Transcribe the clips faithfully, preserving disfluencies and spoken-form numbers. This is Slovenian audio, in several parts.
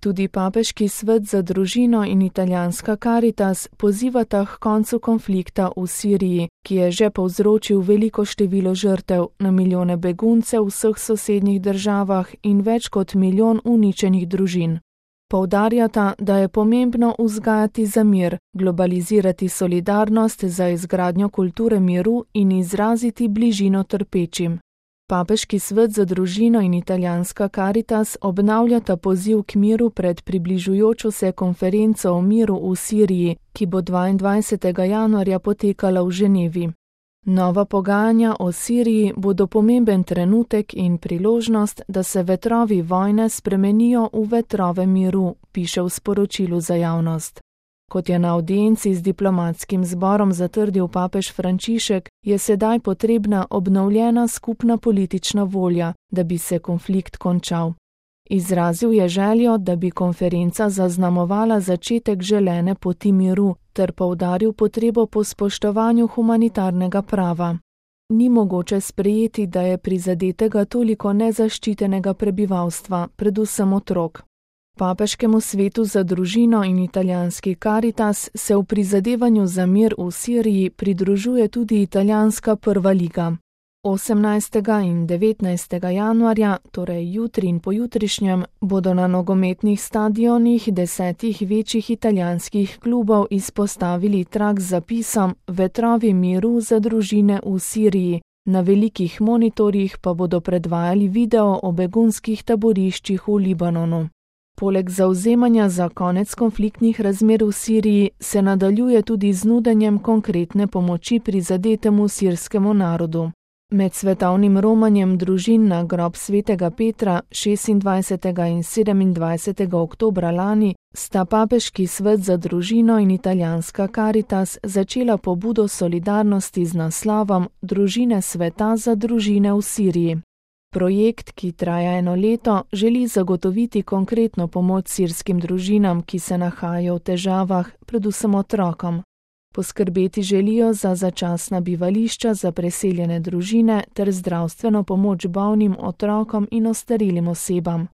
Tudi Papeški svet za družino in italijanska Karitas pozivata k koncu konflikta v Siriji, ki je že povzročil veliko število žrtev, na milijone beguncev v vseh sosednjih državah in več kot milijon uničenih družin. Poudarjata, da je pomembno vzgajati za mir, globalizirati solidarnost za izgradnjo kulture miru in izraziti bližino trpečim. Papeški svet za družino in italijanska Karitas obnavljata poziv k miru pred približujočo se konferenco o miru v Siriji, ki bo dvaindvajsetega januarja potekala v Ženevi. Nova pogajanja o Siriji bodo pomemben trenutek in priložnost, da se vetrovi vojne spremenijo v vetrove miru, piše v sporočilu za javnost. Kot je na avdienci z diplomatskim zborom zatrdil papež Frančišek, je sedaj potrebna obnovljena skupna politična volja, da bi se konflikt končal. Izrazil je željo, da bi konferenca zaznamovala začetek želene poti miru, ter poudaril potrebo po spoštovanju humanitarnega prava. Ni mogoče sprejeti, da je prizadetega toliko nezaščitenega prebivalstva, predvsem otrok. Papeškemu svetu za družino in italijanski Karitas se v prizadevanju za mir v Siriji pridružuje tudi italijanska prva liga. osemnajstega in devetnajstega januarja, torej jutri in pojutrišnjem, bodo na nogometnih stadionih desetih večjih italijanskih klubov izpostavili trak z zapisom Vetrovi miru za družine v Siriji, na velikih monitorjih pa bodo predvajali video o begunskih taboriščih v Libanonu. Poleg zavzemanja za konec konfliktnih razmer v Siriji se nadaljuje tudi z nudenjem konkretne pomoči prizadetemu sirskemu narodu. Med svetovnim romanjem družin na grob svetega Petra šestindvajsetega in sedemindvajsetega oktobra lani sta Papeški svet za družino in italijanska Karitas začela pobudo solidarnosti z naslovom Družine sveta za družine v Siriji. Projekt, ki traja eno leto, želi zagotoviti konkretno pomoč sirskim družinam, ki se nahajajo v težavah, predvsem otrokom. Poskrbeti želijo za začasna bivališča za preseljene družine ter zdravstveno pomoč bolnim otrokom in ostarelim osebam.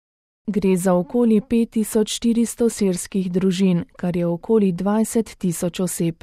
Gre za okoli pet tisoč štiristo sirskih družin, kar je okoli dvajset tisoč oseb.